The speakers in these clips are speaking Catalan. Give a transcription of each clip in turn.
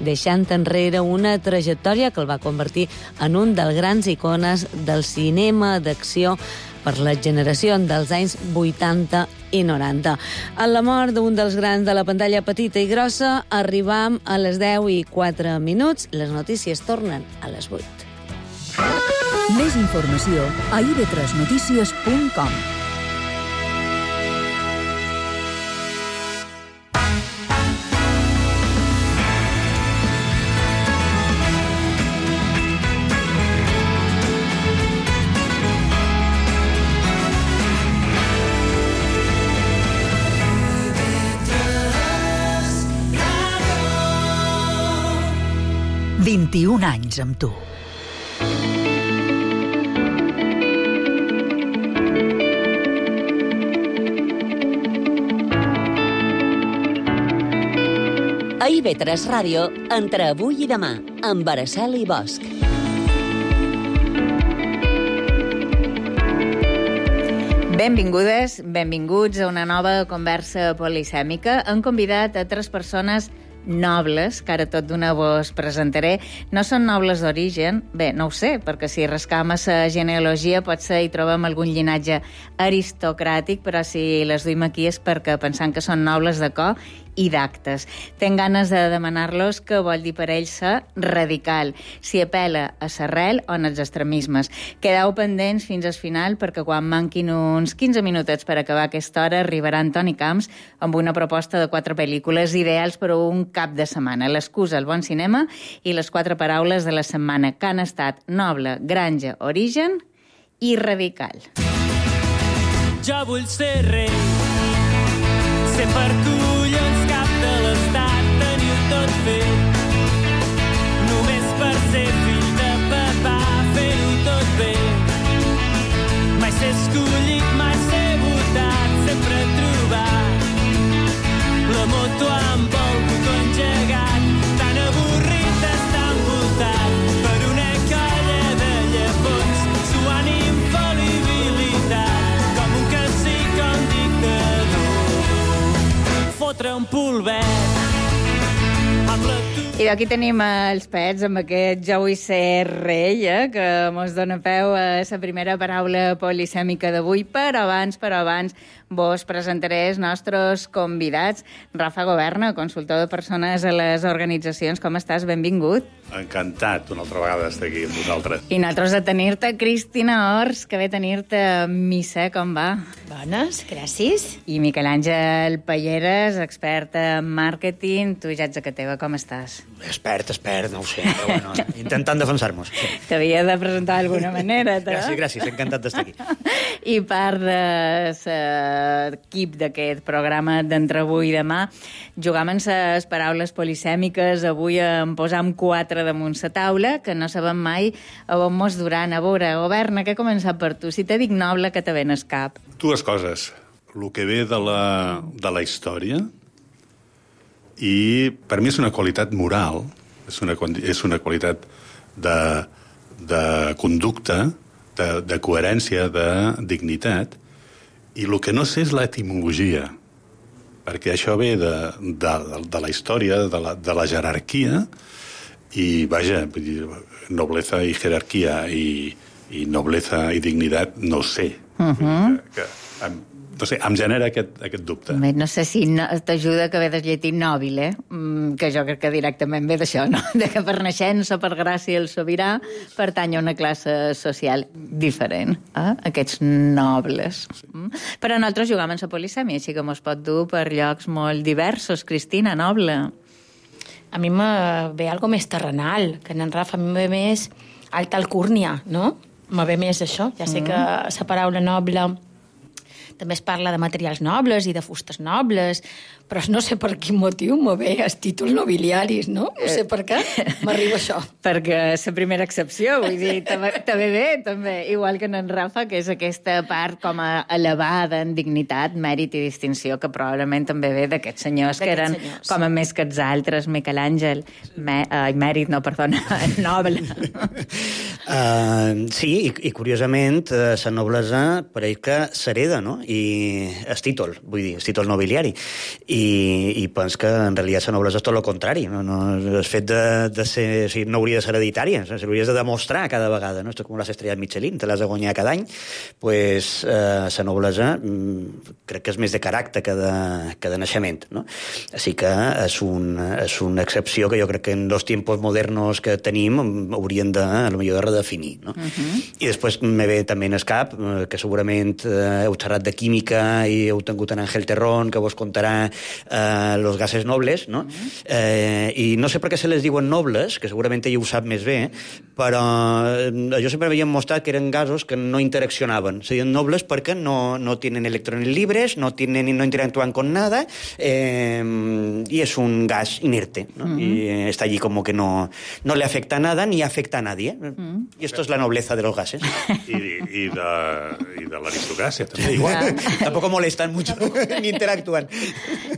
deixant enrere una trajectòria que el va convertir en un dels grans icones del cinema d'acció per les generacions dels anys 80 i 90. En la mort d'un dels grans de la pantalla petita i grossa, arribam a les 10:04. Les notícies tornen a les 8. Més informació a ib3notícies.com. « 21 anys amb tu. A IB3 Ràdio, entre avui i demà, amb Araceli Bosch. Benvingudes, benvinguts a una nova conversa polisèmica. Han convidat a 3 persones nobles, que ara tot d'una vos presentaré. No són nobles d'origen, bé, no ho sé, perquè si rascam a la genealogia potser hi trobem algun llinatge aristocràtic, però si les duim aquí és perquè pensant que són nobles de cor i d'actes. Tenc ganes de demanar-los què vol dir per ells ser radical, si apela a l'arrel o en els extremismes. Quedeu pendents fins al final perquè quan manquin uns 15 minutets per acabar aquesta hora arribarà Antoni Camps amb una proposta de 4 pel·lícules ideals per a un cap de setmana. L'excusa, el bon cinema i les 4 paraules de la setmana que han estat noble, granja, origen i radical. Jo vull ser rei, ser per collons cap de l'estat, tenir-ho tot fet. Només per ser fill de papà, fer-ho tot bé. Mai ser escollit, mai ser votat, sempre trobar la moto amb el botó engegat, tan avorrit d'estar envoltat per una colla de llepons, suant infal·libilitat, com un cacic o un dictador. Fotre un polvet amb la... I aquí tenim els pets amb aquest Jo vull ser rei, que mos dona peu a la primera paraula polisèmica d'avui. Però abans vos presentaré els nostres convidats. Rafa Governa, consultor de persones a les organitzacions. Com estàs? Benvingut. Encantat una altra vegada d'estar aquí amb vosaltres. I nosaltres de tenir-te, Cristina Ors, que ve tenir-te a missa. Com va? Bones, gràcies. I Miquel Àngel Palleres, expert en màrqueting. Tu ja ets a que teva, com estàs? Expert, no ho sé, però bueno, intentant defensar-nos. Sí. T'havia de presentar d'alguna manera, tu? Gràcies, encantat d'estar aquí. I part de l'equip d'aquest programa d'Entre avui i demà, jugam amb les paraules polisèmiques. Avui en posam 4 damunt la taula, que no sabem mai a on mos duran. A veure, Governa, què ha començat per tu? Si te dic noble, que te ven al cap? 2 coses. El que ve de la història, i per mi és una qualitat moral, és una qualitat de conducta, de coherència, de dignitat, i el que no sé és l'etimologia, perquè això ve de la història, de la jerarquia, i vaja, nobleza i jerarquia i nobleza i dignitat, no sé. No sé, em genera aquest dubte. No sé si t'ajuda que ve del llatí nòbil, que jo crec que directament ve d'això, no? De que per naixença, per gràcia el sobirà, pertany a una classe social diferent, aquests nobles. Sí. Però nosaltres jugam en la polisèmia, així que mos pot dur per llocs molt diversos. Cristina, noble. A mi me ve algo més terrenal, que en Rafa a mi me ve més alta alcúrnia, no? Me ve més això. Ja sé que la paraula noble també es parla de materials nobles i de fustes nobles, però no sé per quin motiu me ve els títols nobiliaris, no? No sé per què m'arriba això. Perquè és la primera excepció, vull dir, també ve, també, igual que en Rafa, que és aquesta part com a elevada en dignitat, mèrit i distinció, que probablement també ve d'aquests senyors que eren com a més que els altres. Miquel Àngel, mèrit, no, perdona, noble. Sí, i curiosament, la noblesa pareix que s'hereda, no? no? I el títol, vull dir, el títol nobiliari. I pens que en realitat la noblesa és tot el contrari. No, el fet de ser... O sigui, no hauria de ser hereditària, s'hauria de demostrar cada vegada, no? Esto com les estrelles Michelin, te l'has de guanyar cada any. Pues la noblesa crec que és més de caràcter que de naixement, no? Així que és una excepció que jo crec que en els tiempos modernos que tenim haurien de, a lo millor, de redefinir, no? I després me ve també en el cap que segurament heu xerrat de química i heu tingut en Ángel Terrón que vos contarà los gases nobles, no? I no sé per què se les diuen nobles, que segurament ell ho sap més bé, però jo sempre havien mostrat que eren gasos que no interaccionaven. Se diuen nobles perquè no tienen electrones libres, no interactúan con nada, y es un gas inerte, ¿no? Y está allí como que no le afecta a nada ni afecta a nadie. Y esto es la nobleza de los gases. I de l'aristocràcia, també igual. Tampoco molestan mucho ni interactúan.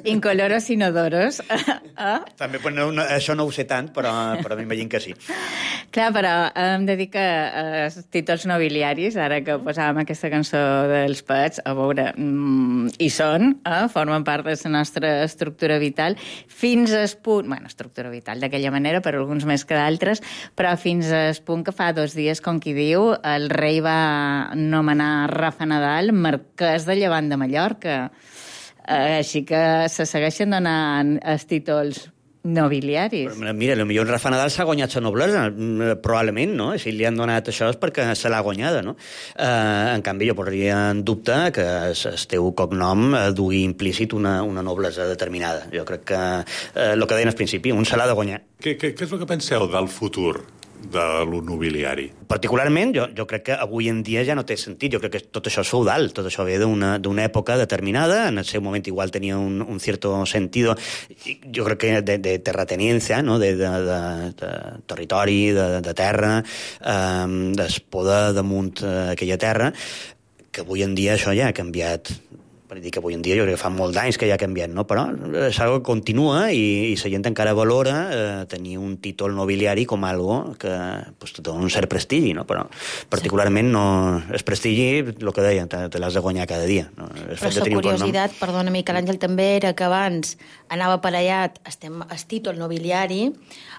Incoloros, inodoros. També, pues, això no ho sé tant, però a mi m'imagino que sí. Clar, però hem de dir que els títols nobiliaris, ara que posàvem aquesta cançó dels Pets, a veure, hi són, formen part de la nostra estructura vital, fins al punt... Bueno, estructura vital d'aquella manera, per alguns més que d'altres, però fins al punt que fa 2 dies, com qui diu, el rei va nomenar Rafa Nadal marquès de Llevant de Mallorca. Així que se segueixen donant els títols nobiliaris. Però, mira, potser Rafa Nadal s'ha guanyat la noblesa, probablement, no? Si li han donat això és perquè se l'ha guanyada, no? En canvi, jo posaria en dubte que el teu cognom dugui implícit una noblesa determinada. Jo crec que el que deien al principi, un se l'ha de guanyar. Què és el que penseu del futur de lo nobiliari? Particularment, jo crec que avui en dia ja no té sentit. Jo crec que tot això és feudal, tot això ve d'una època determinada, en el seu moment igual tenia un cierto sentido, jo crec que de terrateniència, no? de territori, de terra, del poder damunt aquella terra, que avui en dia això ja ha canviat. Per dir que avui en dia jo crec que fa molts anys que ja ha canviat, no? Però és algo que continua i la gent encara valora tenir un títol nobiliari com algo que pues, té un cert prestigi, no? Però particularment no, el prestigi, el que deia, te l'has de guanyar cada dia. No? Però la curiositat, perdona Miquel Àngel, també era que abans anava aparellat el títol nobiliari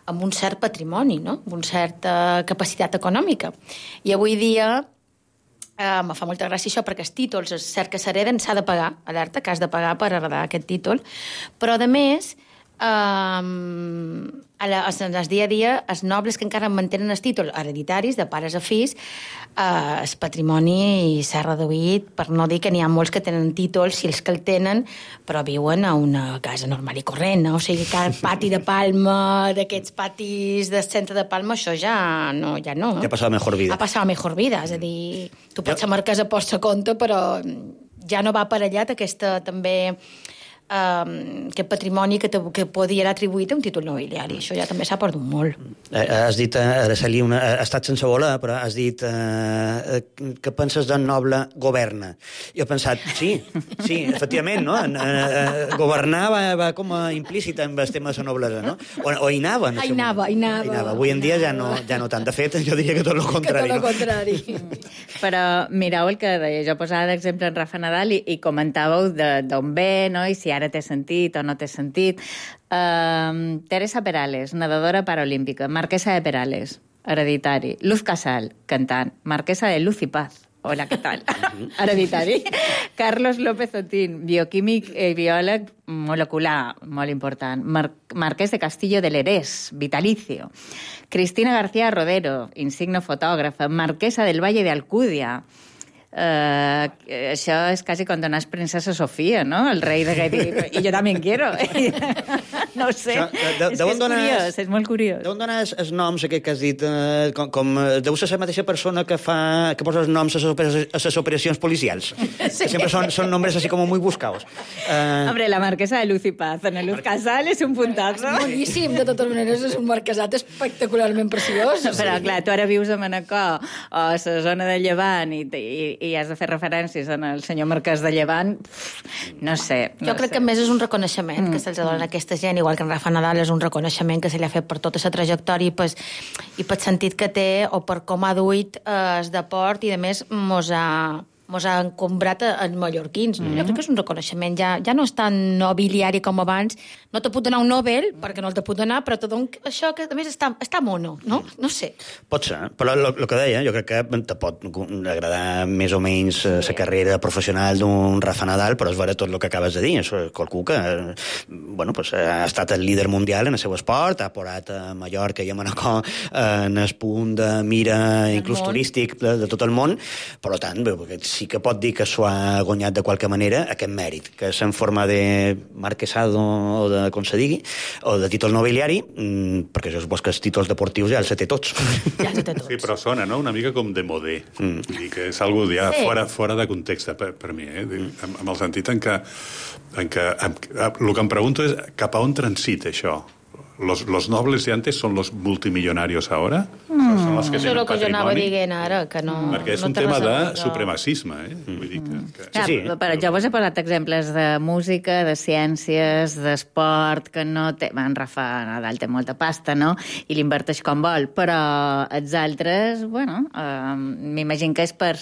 amb un cert patrimoni, no? Amb una certa capacitat econòmica. I avui dia me fa molta gràcia això, perquè els títols, és cert que s'hereden, s'ha de pagar, alerta, que has de pagar per heredar aquest títol, però, a més, el dia a dia, els nobles que encara mantenen els títols hereditaris, de pares a fills, el patrimoni s'ha reduït, per no dir que n'hi ha molts que tenen títols, si els que el tenen, però viuen a una casa normal i corrent, no? O sigui, cada pati de Palma, d'aquests patis del centre de Palma, això ja no. Ja ha passat a mejor vida. Ha passat a mejor vida, és a dir, tu pots ser marquès a posta compte, però ja no va aparellat aquesta també aquest patrimoni que podia atribuït a un títol nobiliari. Això ja també s'ha perdut molt. Has dit, Araceli, ha estat sense voler, però has dit que penses del noble governa. Jo he pensat, sí, efectivament, no? Governar va com a implícit amb el tema de la noblesa, no? O hi anava. Hi anava. Avui en dia ja no tant. De fet, jo diria que tot el contrari. Que tot el contrari. Però mireu el que deia. Jo posava d'exemple en Rafa Nadal i comentàveu d'on ve, no? I si ara té sentit o no té sentit. Teresa Perales, nedadora paralímpica. Marquesa de Perales, hereditari. Luz Casal, cantant. Marquesa de Luz y Paz. Hola, què tal? Hereditari. Carlos López Otín, bioquímic i biòleg molecular, molt important. Marquès de Castillo de Lerés, vitalicio. Cristina García Rodero, insigno fotògrafa. Marquesa del Valle de Alcúdia. Això és quasi com donar princesa Sofia, no? El rei de i jo també quiero. No ho sé. És curiós, és molt curiós. D'on donar els noms que has dit? Deu ser la mateixa persona que posa els noms a les operacions policials. Sí. Que sempre són nombres así como muy buscados. Hombre, la marquesa de Luz y Paz, en Luz Casal és un puntazo. És boníssim, de totes maneres, és un marquesat espectacularment preciós. Però, clar, tu ara vius a Manacor o a la zona de Llevant i has de fer referències al senyor marquès de Llevant, no sé. Jo crec que més és un reconeixement que se'ls dona a aquesta gent, igual que en Rafa Nadal és un reconeixement que se li ha fet per tota la trajectòria i pel sentit que té o per com ha duit el deport i, a més, mos ha mos ha encombrat en mallorquins. Jo crec que és un reconeixement, ja no és tan nobiliari com abans. No te puc donar un Nobel, perquè no el te puc donar, però te dono això que, a més, està mono, no? No sé. Pot ser, però el que deia, jo crec que te pot agradar més o menys la carrera professional d'un Rafa Nadal, però és vera tot el que acabes de dir. És qualcú que ha estat el líder mundial en el seu esport, ha posat a Mallorca i a Manacor en el punt de mira inclús turístic de tot el món, per tant, sí que pot dir que s'ho ha guanyat de qualque manera aquest mèrit, que és en forma de marquesado o de com se digui, o de títol nobiliari, perquè jo suposo que els títols deportius ja els té tots. Ja els té tots. Sí, però sona, no?, una mica com de modé. Vull dir que és algo ja fora de context per mi, amb el sentit en què el que em pregunto és cap a on transita això. ¿Los nobles de antes son los multimillonarios ahora? Son los que tenen patrimoni? Això és el que jo anava dient ara, que no... Perquè és un tema de supremacisme, Vull dir que... Sí. Però jo vos he posat exemples de música, de ciències, d'esport, que no té... En Rafa Nadal té molta pasta, no?, i l'inverteix com vol, però els altres, m'imagino que és per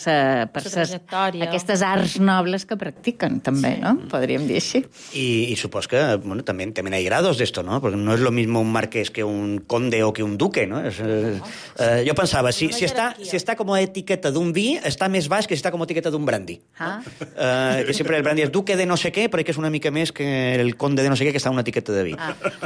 aquestes arts nobles que practiquen, també, no? Podríem dir així. Y supongo que también hay grados de esto, ¿no? Porque no es lo mismo un marqués que un conde o que un duque, ¿no? Jo pensava, si està com a etiqueta d'un vi, està més baix que si està com a etiqueta d'un brandy. Que sempre el brandy és duque de no sé què, però que és una mica més que el conde de no sé què, que està en una etiqueta de vi.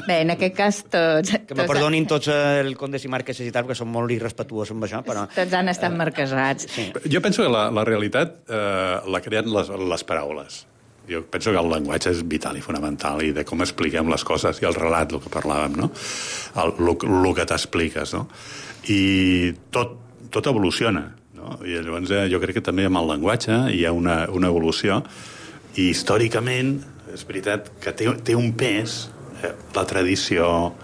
Bé, en aquest cas tots... Que me perdonin tots els condes i marqueses i tal, perquè són molt irrespetuosos amb això, però... Tots han estat marquesats. Sí. Jo penso que la realitat la creen les paraules. Jo penso que el llenguatge és vital i fonamental, i de com expliquem les coses, i el relat, el que parlàvem, no? El que t'expliques, no? I tot evoluciona, no? I llavors jo crec que també amb el llenguatge hi ha una evolució, i històricament és veritat que té un pes, la tradició,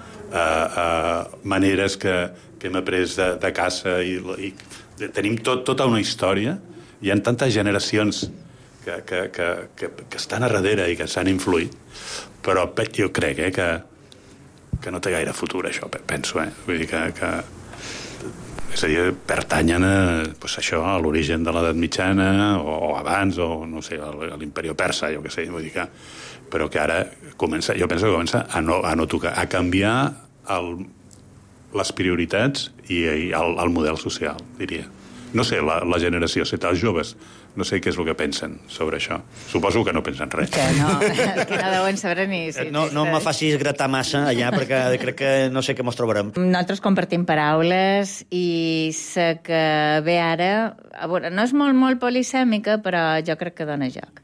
maneres que hem après de casa, i tenim tota una història, hi ha tantes generacions que estan a darrere i que s'han influït, però jo crec que no té gaire futur, això, penso, Vull dir que és a dir, pertanyen a l'origen de l'edat mitjana, o abans, o no sé, a l'imperi persa, jo què sé, vull dir que... Però que ara jo penso que comença a no tocar, a canviar les prioritats i el model social, diria. No sé, la generació, els joves, no sé què és el que pensen sobre això. Suposo que no pensen res. Que no deuen saber ni... No me facis gratar massa allà, perquè crec que no sé què mos trobarem. Nosaltres compartim paraules, i sé que ve ara... A veure, no és molt polisèmica, però jo crec que dona joc.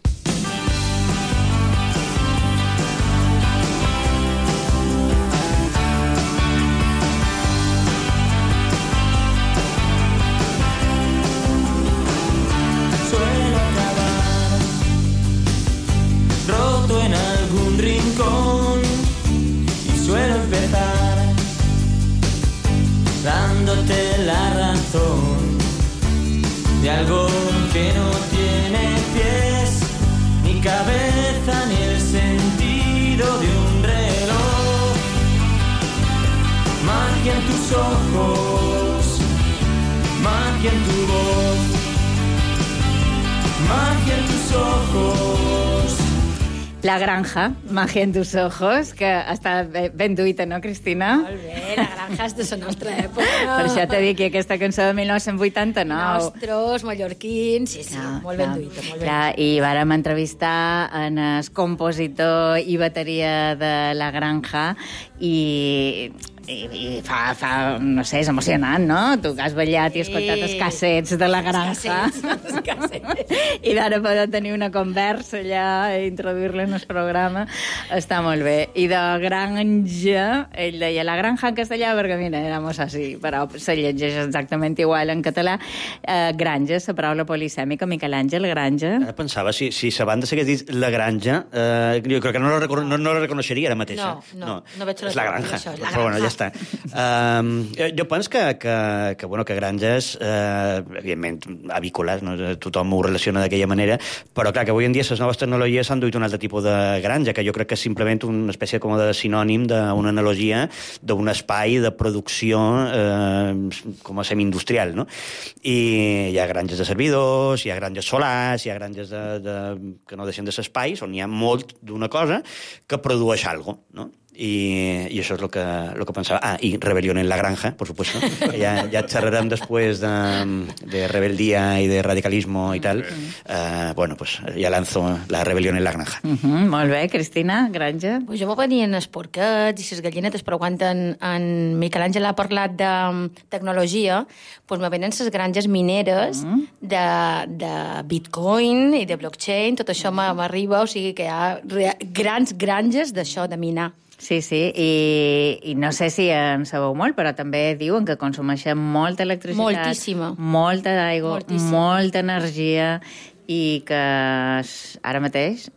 En algún rincón y suelo empezar dándote la razón de algo que no tiene pies ni cabeza ni el sentido de un reloj. Magia en tus ojos, magia en tu voz, magia en tus ojos. La Granja, Magia en tus ojos, que està ben duita, no, Cristina? Molt bé, La Granja és de la nostra època. Per això t'he dit que aquesta cançó de 1989... Nostres, mallorquins, sí, molt ben duita, molt ben. I vàrem entrevistar en el compositor i bateria de La Granja, i fa, no sé, és emocionant, no? Tu que has ballat i escoltat els cassets de La Granja. Els cassets. I d'ara poder tenir una conversa allà i introduir-la en el programa, està molt bé. I de Granja, ell deia La Granja en castellà, perquè mira, éramos així, però se llegeix exactament igual en català. Granja, la paraula polisèmica, Miquel Àngel, Granja. Pensava, si la banda s'hagués dit La Granja, jo crec que no la reconeixeria ara mateix. No veig és La Granja. Això, però bueno, ja està. està. Jo penso que granges, evidentment, avícoles, no? Tothom ho relaciona d'aquella manera, però clar, que avui en dia les noves tecnologies s'han duit un altre tipus de granja, que jo crec que és simplement una espècie com de sinònim d'una analogia d'un espai de producció com a semi-industrial, no? I hi ha granges de servidors, hi ha granges solars, hi ha granges que no deixen de ser espais, on hi ha molt d'una cosa que produeix alguna cosa, no? I això és el que pensava. I rebelión en la granja, por supuesto. Ja xerrarem després de rebeldía i de radicalismo i tal. Bueno, pues ja lanzo la rebelión en la granja. Molt bé, Cristina, granja. Pues jo m'ho venien els porquets i les gallinetes, però quan en Miquel Àngel ha parlat de tecnologia, pues me venen les granges mineres de Bitcoin i de blockchain, tot això m'arriba, o sigui que hi ha grans granges d'això, de minar. Sí, i no sé si en sabeu molt, però també diuen que consumeixen molta electricitat, moltíssima, molta aigua, molta energia, i que ara mateix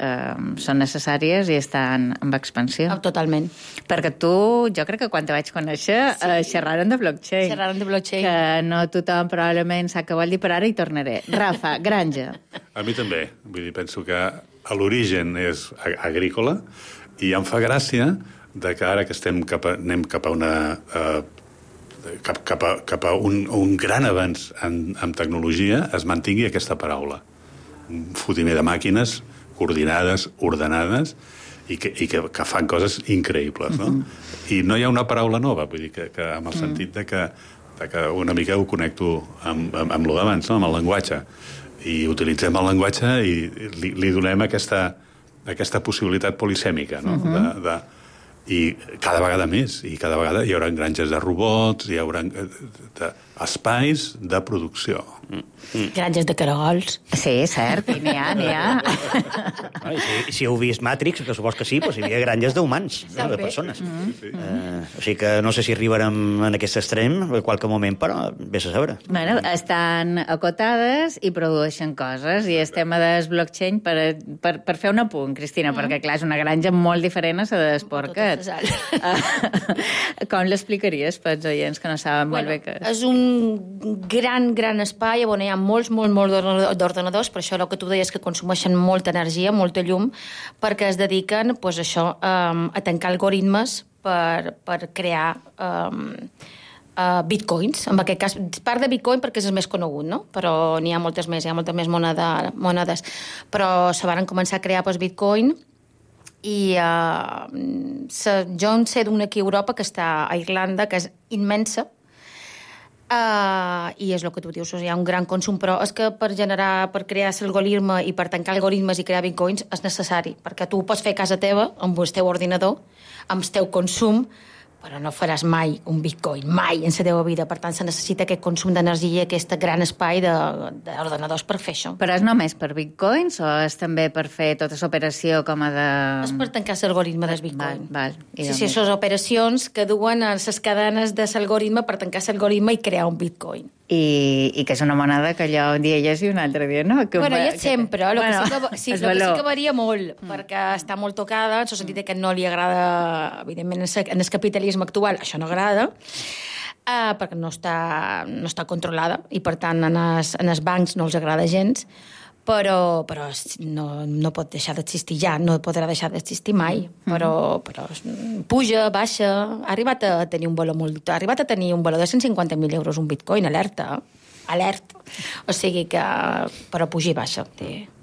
són necessàries i estan en expansió. Totalment. Perquè tu, jo crec que quan te vaig conèixer, xerraren de blockchain. Xerraren de blockchain. Que no tothom probablement sap què vol dir, però ara hi tornaré. Rafa, granja. A mi també. Vull dir, penso que a l'origen és agrícola, i em fa gràcia que ara que anem cap a un gran avanç en tecnologia es mantingui aquesta paraula. Un fotimer de màquines coordinades, ordenades i que fan coses increïbles, no? I no hi ha una paraula nova, vull dir que amb el sentit de que una mica ho connecto amb lo d'abans, no? Amb el llenguatge. I utilitzem el llenguatge i li donem aquesta possibilitat polisèmica, no? I cada vegada més, i cada vegada hi haurà granges de robots, hi haurà espais de producció. Granges de caragols. Sí, cert, i n'hi ha. Si heu vist Matrix, que supos que sí, doncs hi havia granges d'humans, no? De persones. O sigui que no sé si arribarem en aquest extrem en qualque moment, però vés a saber. Bueno, estan acotades i produeixen coses, i el tema del blockchain, per fer un apunt, Cristina, perquè clar, és una granja molt diferent a la dels porquets. Com l'explicaries pels oients que no saben molt bé què és? És un gran espai on hi ha molts d'ordenadors, per això el que tu deies que consumeixen molta energia, molta llum, perquè es dediquen pues, a tancar algoritmes per crear bitcoins. En aquest cas, part de bitcoin perquè és el més conegut, no? Però n'hi ha moltes més, monedes. Però se van començar a crear pues, bitcoin i jo en sé d'una aquí a Europa que està a Irlanda, que és immensa, i és el que tu dius, hi ha un gran consum, però és que per crear l'algoritme i per tancar algoritmes i crear bitcoins és necessari, perquè tu ho pots fer a casa teva amb el teu ordinador, amb el teu consum, però no faràs mai un bitcoin, mai en la teva vida. Per tant, se necessita aquest consum d'energia i aquest gran espai d'ordenadors per fer això. Però és només per bitcoins o és també per fer tota l'operació com a de... És per tancar l'algoritme del bitcoin. Val. Sí, són operacions que duen a les cadenes de l'algoritme per tancar l'algoritme i crear un bitcoin. I que és una moneda que allò un dia hi és i un altre dia no. Bueno, hi és sempre, el que sí que varia molt, perquè està molt tocada, en el sentit que no li agrada, evidentment, en el capitalisme actual, això no agrada, perquè no està controlada, i per tant en els bancs no els agrada gens, però no pot deixar d'existir ja, no podrà deixar d'existir mai, però puja, baixa, ha arribat a tenir un valor de 150.000 euros un bitcoin, alerta, o sigui que però puja i baixa,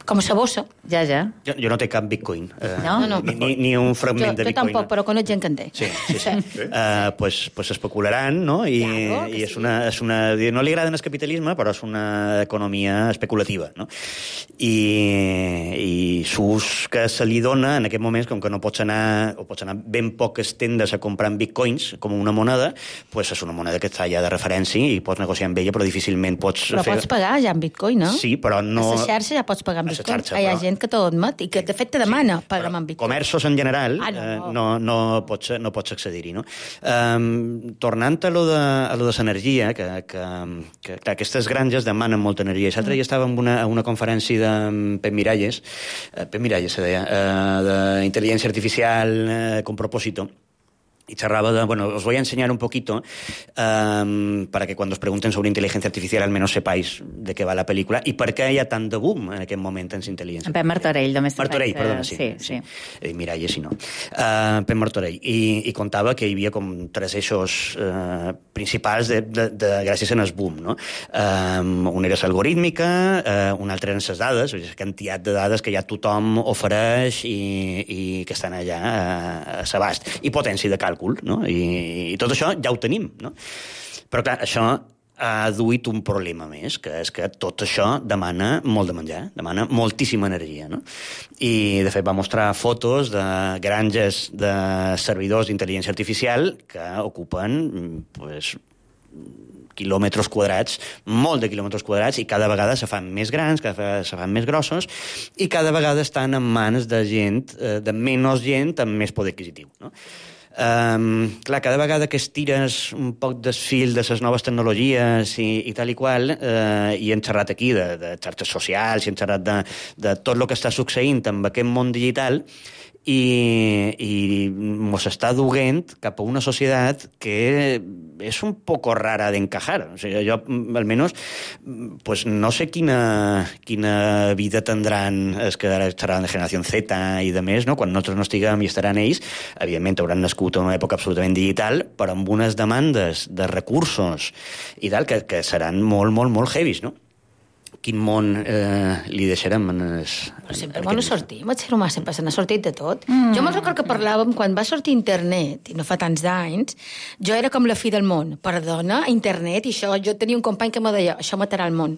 com a bossa. Ja. Jo no té cap bitcoin. No. Ni un fragment de bitcoin. Jo tampoc, però conec gent que en té. Sí. Pues especularan, no? I és una... No li agraden el capitalisme, però és una economia especulativa, no? I s'ús que se li dona en aquest moment, com que no pots anar ben poques tendes a comprar bitcoins com una moneda, pues és una moneda que està ja de referència i pots negociar amb ella, però difícilment pots fer... Però pots pagar ja en bitcoin, no? Sí, però no... A la xarxa ja pots pagar en bitcoin. Hi ha gent que t'ho admet i que de fet te demana pagar en bitcoin. Comerços en general no pots accedir-hi, no? Tornant a lo de l'energia, que aquestes granges demanen molta energia. L'altre dia estava a una conferència de Pep Miralles se deia, d'intel·ligència artificial con propósito, y charraba de, bueno, os voy a enseñar un poquito para que cuando os pregunten sobre inteligencia artificial al menos sepáis de què va la pel·lícula i per què hi ha tant de boom en aquest moment en intel·ligència. Pep Martorell, només Martorell, perdona, sí. Sí. Miralles, si no. Pep Martorell. I contava que hi havia com 3 eixos principals gràcies al boom, no? Un era l'algorítmica, un altre eren les dades, la quantitat de dades que ja tothom ofereix i que estan allà a l'abast. I potència de càlcul, no? I tot això ja ho tenim, no? Però clar, això ha duit un problema més, que és que tot això demana molt de menjar, demana moltíssima energia, no? I, de fet, va mostrar fotos de granges de servidors d'intel·ligència artificial que ocupen, pues, quilòmetres quadrats, molt de quilòmetres quadrats, i cada vegada se fan més grans, cada vegada se fan més grossos, i cada vegada estan en mans de gent, de menys gent amb més poder adquisitiu, no? Clar, cada vegada que estires un poc del fil de les noves tecnologies i tal i qual, i hem xerrat aquí de xarxes socials, i hem xerrat de tot el que està succeint amb aquest món digital, i mos està duent cap a una societat que és un poco rara d'encajar. O sigui, jo, almenys, pues, no sé quina vida tindran els que ara estaran de generació Z i de més, no? Quan nosaltres no estiguem i estaran ells, evidentment hauran nascut en una època absolutament digital, però amb unes demandes de recursos i tal, que seran molt, molt, molt heavies, no? Quin món li deixarem en els... Però sempre no sortim, el ser humà sempre se n'ha sortit de tot. Jo me'n recordo que parlàvem, quan va sortir internet, i no fa tants d'anys, jo era com la fi del món. Perdona, internet, i això, jo tenia un company que me deia, això matarà el món.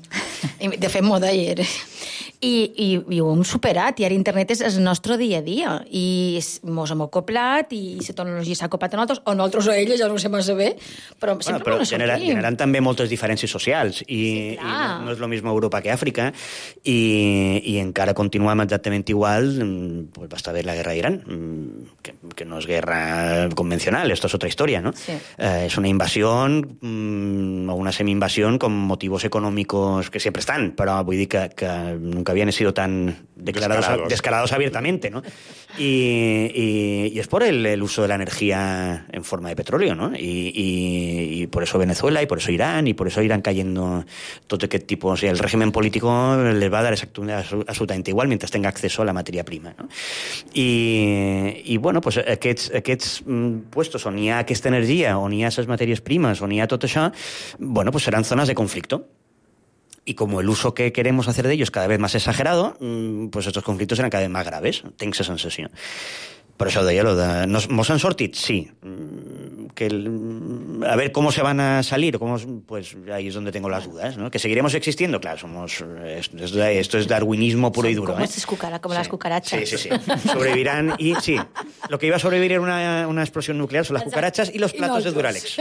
De fet, m'ho deia. I ho hem superat, i ara internet és el nostre dia a dia, i mos hem acoplat, i la tecnologia s'ha acoplat a nosaltres, o nosaltres a elles, ja no ho sé massa bé, però sempre no sortim. Generant també moltes diferències socials, i no és el mismo Europa que Àfrica, i encara continuem exactament igual. Pues va estar bé la guerra d'Iran, que no és guerra convencional, esto es otra historia, ¿no? Sí. Es una invasión, o una semi-invasión con motivos económicos que siempre están, però vull dir que nunca habían sido tan descarados abiertamente, ¿no? Y es por el uso de la energía en forma de petróleo, ¿no? Y por eso Venezuela, y por eso Irán, y por eso irán cayendo todo aquest tipus. O sigui, el régimen político les va a dar absolutamente igual mientras tenga acceso a la materia prima, no? I bueno, pues aquests puestos on hi ha aquesta energia, on hi ha les matèries primes, on hi ha tot això, bueno, pues serán zonas de conflicto. Y como el uso que queremos hacer de ellos es cada vez más exagerado, pues estos conflictos serán cada vez más graves. Tenc la sensació. Per això deia lo de... ¿Mos han sortit? Sí. A ver cómo se van a salir, pues ahí es donde tengo las dudas, ¿no? Que seguiremos existiendo, claro, esto es darwinismo puro y duro. Como las cucarachas. Sí. Sobrevivirán y sí, lo que iba a sobrevivir era una explosión nuclear son las cucarachas y los platos de Duralex.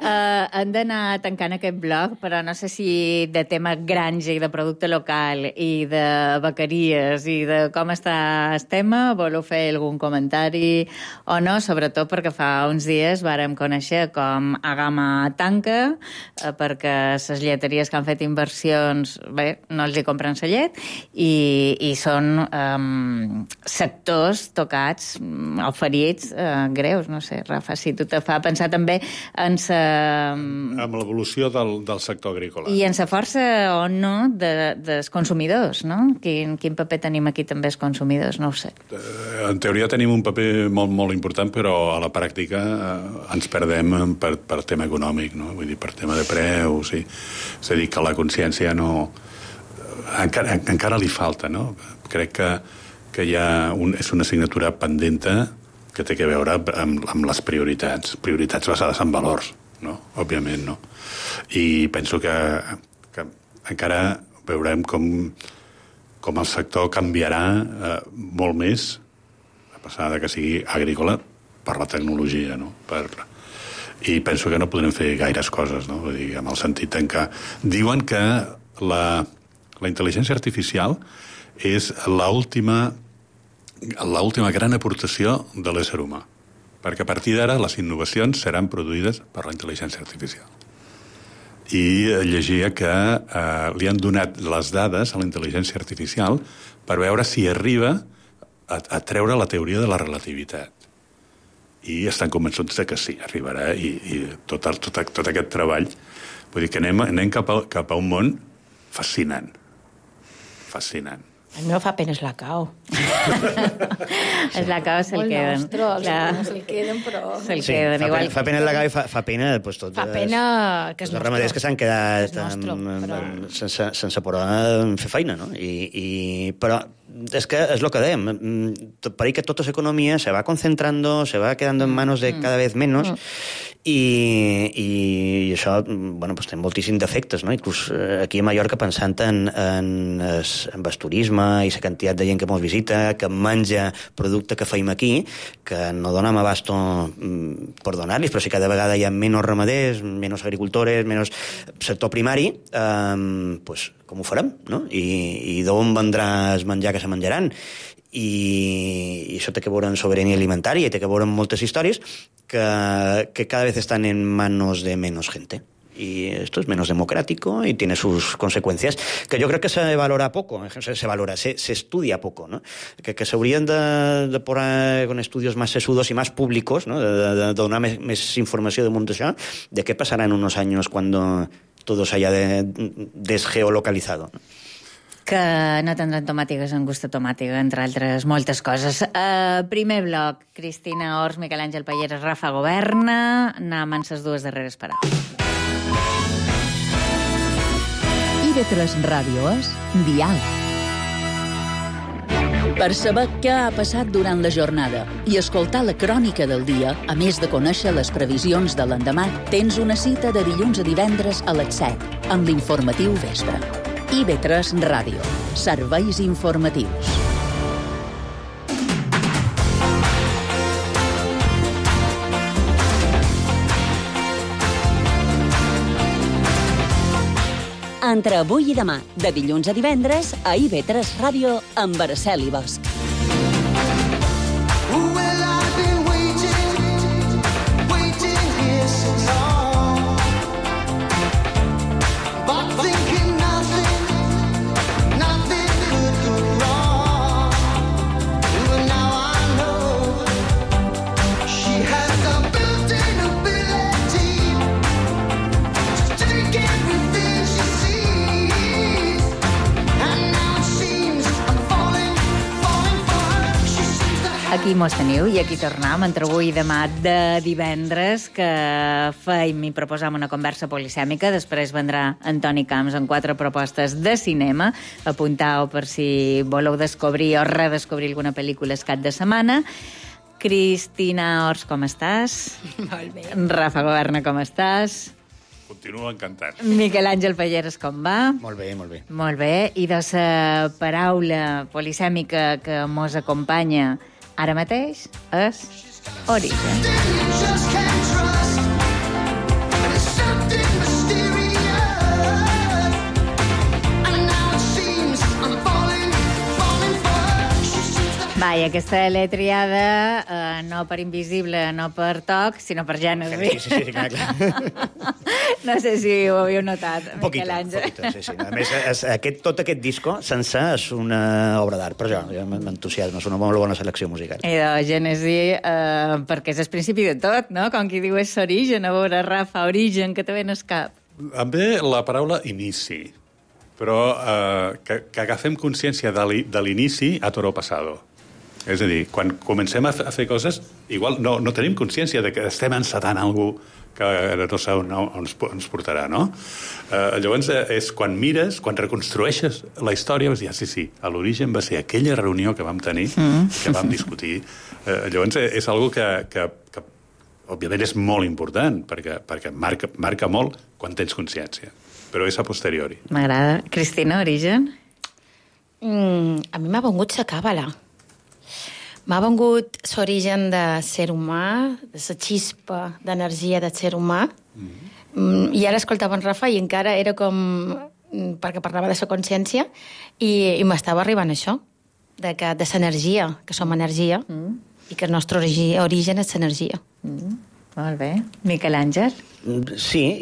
Hem d'anar tancant aquest bloc, però no sé si de tema granja i de producte local i de bequeries i de com està el tema, voleu fer algun comentari o no, sobretot perquè fa uns dies vàrem conèixer com Agama tanca, perquè les lleteries que han fet inversions, bé, no els hi compren la llet, i són sectors tocats o ferits greus, no sé, Rafa, si tu te fa pensar també en amb l'evolució del sector agrícola. I en la força o no dels consumidors, no? Quin paper tenim aquí també els consumidors, no ho sé. En teoria tenim un paper molt, molt important, però a la pràctica ens perdem per tema econòmic, no? Vull dir, per tema de preus, sí. És a dir, que la consciència no... Encara li falta, no? Crec que hi ha és una assignatura pendenta que té a veure amb les prioritats basades en valors, no? Òbviament, no? I penso que encara veurem com el sector canviarà molt més, a passar de que sigui agrícola, per la tecnologia, no? I penso que no podrem fer gaires coses, no? Vull dir, en el sentit en que diuen que la intel·ligència artificial és l'última gran aportació de l'ésser humà, perquè a partir d'ara les innovacions seran produïdes per la intel·ligència artificial. I llegia que li han donat les dades a la intel·ligència artificial per veure si arriba a treure la teoria de la relativitat. i estan convençuts de que sí, arribarà, i tot aquest treball, vull dir que anem cap a un món fascinant. Fascinant. A mi me fa pena Slacao. Slacao se'l queden. Se'l queden, però... Se'l queden, igual. Fa pena Slacao i fa pena tots fa pena que és els ramaders que s'han quedat sense poder fer feina, no? Però es que es lo que dèiem, parece que tota l'economia se va concentrando, se va quedando en manos de cada vez menos, i això, bueno, pues té moltíssims defectes, no? Inclús aquí a Mallorca, pensant en el turisme i la quantitat de gent que ens visita, que menja producte que feim aquí, que no donem abasto per donar-los, però si cada vegada hi ha menys ramaders, menys agricultores, menys sector primari, pues com ho farem, no? I d'on vendrà el menjar que se menjaran? I això té que veure amb sobirania alimentària i té que veure amb moltes històries que cada vez están en manos de menos gente. Y esto es menos democrático y tiene sus consecuencias, que yo creo que se valora poco, se estudia poco, ¿no? Que se habrían de poner con estudios más sesudos y más públicos, ¿no? De donar més informació damunt d'això, de què passarà en unos años cuando todo se haya desgeolocalizado, ¿no? Que no tindran tomàtigues amb gust de tomàtiga, entre altres moltes coses. Primer bloc, Cristina Ors, Miquel Àngel Palleres, Rafa Governa. Anem amb les dues darreres paraules. IB3 Ràdio és Dial. Per saber què ha passat durant la jornada i escoltar la crònica del dia, a més de conèixer les previsions de l'endemà, tens una cita de dilluns a divendres a les 7, amb l'informatiu Vespre. IB3 Ràdio. Serveis informatius. Entre avui i demà, de dilluns a divendres, a IB3 Ràdio, amb Araceli Bosch. Aquí mos teniu i aquí tornem entre avui i demà de divendres, que feim i proposam una conversa polisèmica. Després vendrà Antoni Camps amb 4 propostes de cinema. Apuntau per si voleu descobrir o redescobrir alguna pel·lícula el cap de setmana. Cristina Ors, com estàs? Molt bé. Rafa Governa, com estàs? Continuo encantat. Miquel Àngel Palleres, com va? Molt bé, molt bé. Molt bé. I de la paraula polisèmica que mos acompanya ara mateix és Origen. Va, i aquesta l'he triada no per Invisible, no per Toc, sinó per Gènesi. Sí, clar. No sé si ho havíeu notat, Miquel Àngel. Sí. A més, tot aquest disco sencer és una obra d'art, per això m'entusiasma, és una molt bona selecció musical. I de Gènesi, perquè és el principi de tot, no? Com qui diu és Origen, a veure, Rafa, Origen, que te ven al cap. Em ve la paraula inici, però que agafem consciència de l'inici a toro passado. És a dir, quan comencem a fer coses, igual no tenim consciència de que estem encetant alguna cosa que no sé on ens portarà, no? Llavors, és quan mires, quan reconstrueixes la història, vas dir, sí, a l'origen va ser aquella reunió que vam tenir, que vam discutir. Llavors, és una que òbviament, és molt important, perquè marca molt quan tens consciència, però és a posteriori. M'agrada. Cristina, Origen? A mi m'ha vengut la càbala. M'ha vengut l'origen de ser humà, de la xispa d'energia del ser humà. I ara escoltava en Rafa i encara era com... perquè parlava de la consciència i m'estava arribant això, de l'energia, que som energia, i que el nostre origen és l'energia. Molt bé. Miquel Àngel? Sí,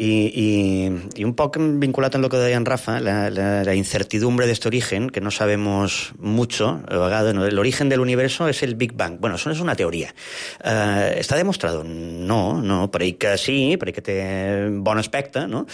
y un poco vinculado en lo que decía Rafa, la incertidumbre de este origen, que no sabemos mucho, el origen del universo es el Big Bang. Bueno, eso es una teoría. ¿Está demostrado? No, per ahí que sí, per ahí que té bon aspecte, ¿no?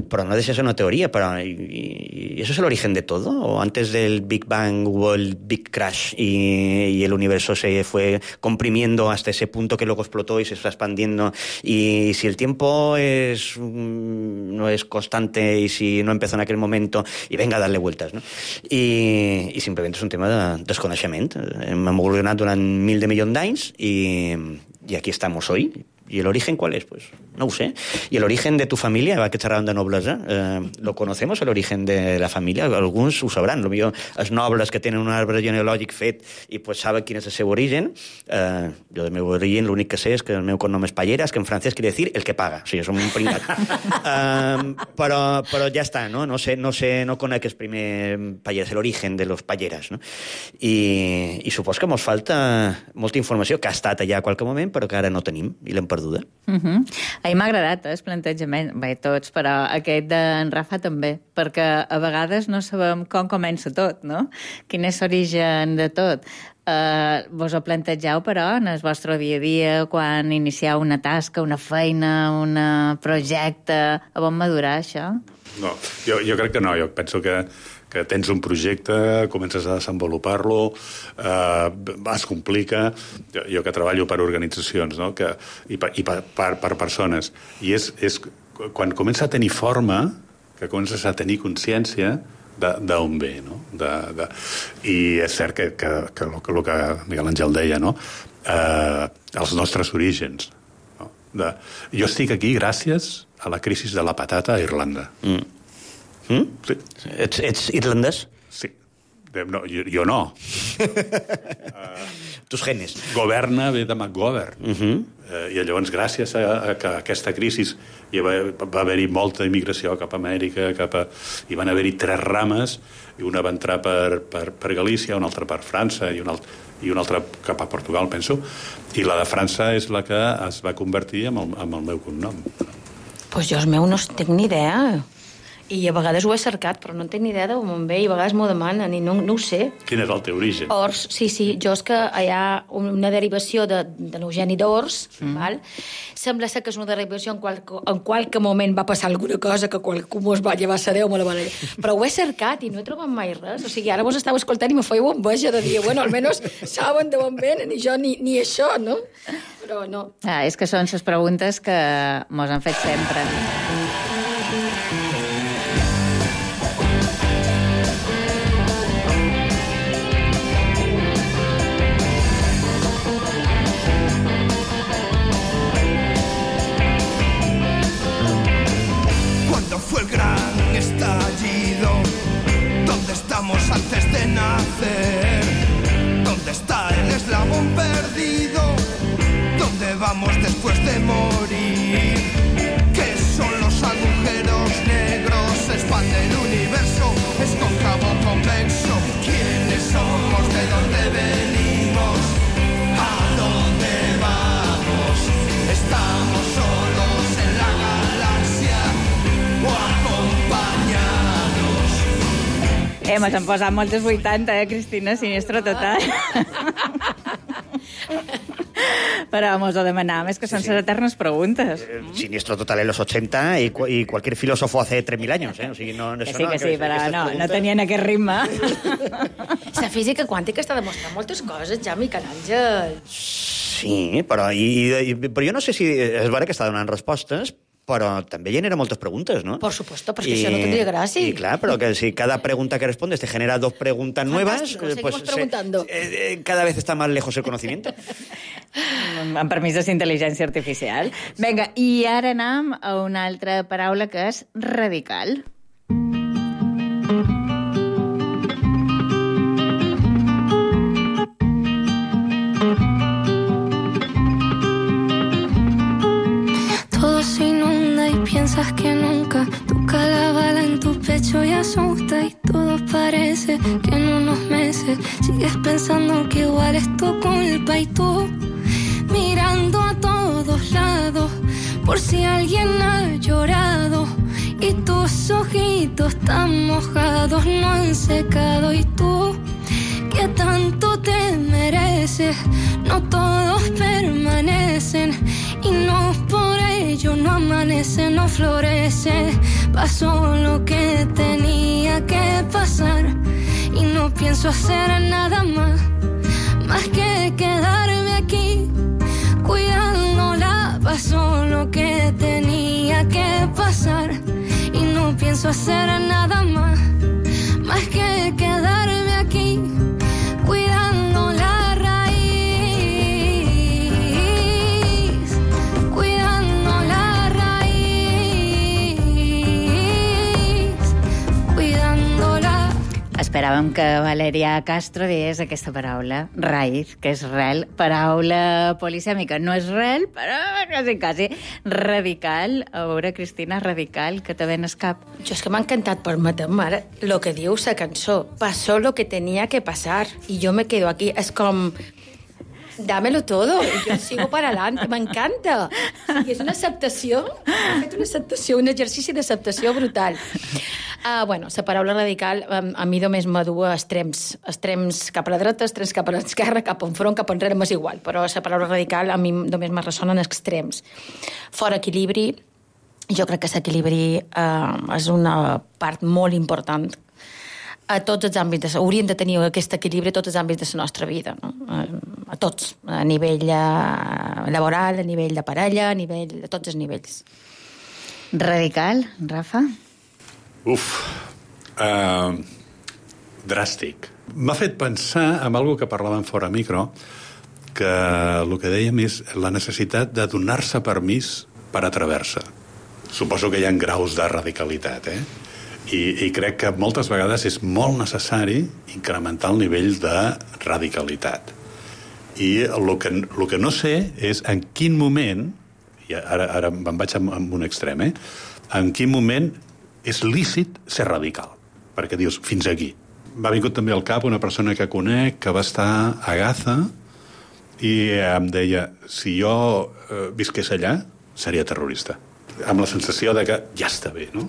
Pero no deja de ser una teoría. ¿Y eso es el origen de todo? ¿O antes del Big Bang hubo el Big Crash y el universo se fue comprimiendo hasta ese punto que luego explotó y se está expandiendo? Y si el tiempo no es constante y si no empezó en aquel momento y venga a darle vueltas, no? I simplement és un tema de desconeixement. Hem evolucionat durant 1.000 milions d'anys y aquí estamos hoy. ¿Y el origen cuál es? Pues no ho sé. ¿Y el origen de tu familia? Va que xerràvem de noblesa. ¿Lo conocemos, el origen de la familia? Alguns ho sabran. Potser els nobles que tenen un arbre genealògic fet i pues saben quin és el seu origen. Jo del meu origen l'únic que sé és que el meu cognom és Palleras, que en francès quiere decir el que paga. O sigui, som un pringat. Però ja està, no? No conec el primer Palleras, l'origen de los Palleras, no? I supos que mos falta molta informació que ha estat allà a qualque moment, però que ara no tenim i l'hem perduda. A mi m'ha agradat el plantejament, bé, tots, però aquest d'en Rafa també, perquè a vegades no sabem com comença tot, no? Quin és l'origen de tot. Vos ho plantegeu, però, en el vostre dia a dia, quan inicieu una tasca, una feina, un projecte, a on madurar això? No, jo crec que no. Jo penso que tens un projecte, comences a desenvolupar-lo, es complica. Jo que treballo per organitzacions, no? I per persones. I és quan comença a tenir forma, que comences a tenir consciència d'on ve, no? I és cert que el que Miguel Àngel deia, no? Els nostres orígens. No? Jo estic aquí gràcies a la crisi de la patata a Irlanda. Sí. Ets irlandès? Sí. No, jo no. Tus genes. Governa ve de McGovern. I llavors, gràcies a aquesta crisi, va haver-hi molta immigració cap a Amèrica, i van haver-hi 3 rames, i una va entrar per Galícia, una altra per França, i una altra cap a Portugal, penso. I la de França és la que es va convertir en el meu cognom. Pues jo el meu no tinc ni idea. I a vegades ho he cercat, però no tinc ni idea d'on ve, i a vegades m'ho demanen, i no ho sé. Quin és el teu origen? Ors, sí, jo és que hi ha una derivació de l'Eugeni d'Ors, val? Sembla ser que és una derivació en qualque moment va passar alguna cosa que qualcú mos va llevar sa Déu, però ho he cercat i no he trobat mai res. O sigui, ara vos estava escoltant i me feia enveja de dir, bueno, almenys saben d'on venen, i jo ni això, no? Però no. És que són les preguntes que mos han fet sempre. Fue el gran estallido. ¿Dónde estamos antes de nacer? ¿Dónde está el eslabón perdido? ¿Dónde vamos después de morir? ¿Qué son los agujeros negros? Se expande el universo, es cóncavo convexo. ¿Quiénes somos? ¿De dónde venimos? ¿A dónde vamos? ¿Estamos solos en la galaxia o acompañados? Mos han posat moltes 80, Cristina? Sinistro total. Però mos ho demanàvem, és que són les eternes preguntes. Sinistro total en los 80 y cualquier filósofo hace 3.000 años, ¿eh? O sigui, no, que sí, però no tenien aquest ritme. La física quàntica està demostrant moltes coses, ja, Miquel Àngel. Sí, però jo no sé si és vera que està donant respostes, però també genera moltes preguntes, ¿no? Por supuesto, perquè això no tendría gràcia. Y claro, pero que si cada pregunta que respondes te genera 2 preguntas nuevas, pues preguntando. Cada vez está más lejos el conocimiento. Amb permís de intel·ligència artificial. Vinga, i ara anem a una altra paraula que és radical. Piensas que nunca toca la bala en tu pecho y asusta y todo parece que en unos meses sigues pensando que igual es tu culpa y tú mirando a todos lados por si alguien ha llorado y tus ojitos tan mojados no han secado. Y tú, que tanto te mereces, no todos permanecen y no por ello no amanece, no florece. Pasó lo que tenía que pasar y no pienso hacer nada más que quedarme aquí cuidándola. Pasó lo que tenía que pasar y no pienso hacer nada más que quedarme aquí cuidando la raíz, cuidando la raíz, cuidándola. Esperàvem que Valeria Castro digués aquesta paraula, raïz, que és rel, paraula polisèmica. No és rel, però quasi radical. A veure, Cristina, radical, que te ven escap. Jo és que m'ha encantat, permetem, ara, lo que diu la cançó. Pasó lo que tenía que pasar y yo me quedo aquí. És com... dámelo todo, yo sigo para adelante, m'encanta. És una acceptació, he fet una acceptació, un exercici d'acceptació brutal. Bueno, la paraula radical a mi només m'adu a extrems cap a la dreta, extrems cap a l'esquerra, cap enfront, cap enrere, m'és igual, però la paraula radical a mi només me ressona en extrems. Fora equilibri, jo crec que l'equilibri és una part molt important a tots els àmbits. Hauríem de tenir aquest equilibri a tots els àmbits de la nostra vida, no? A tots, a nivell laboral, a nivell de parella, a tots els nivells. Radical, Rafa? Dràstic. M'ha fet pensar en algo que parlàvem fora micro, que el que dèiem és la necessitat de donar-se permís per atrever-se. Suposo que hi ha graus de radicalitat, I crec que moltes vegades és molt necessari incrementar el nivell de radicalitat. I el que no sé és en quin moment, i ara me'n vaig amb un extrem, en quin moment és lícit ser radical. Perquè dius, fins aquí. M'ha vingut també al cap una persona que conec que va estar a Gaza i em deia, si jo visqués allà, seria terrorista. Amb la sensació de que ja està bé, no?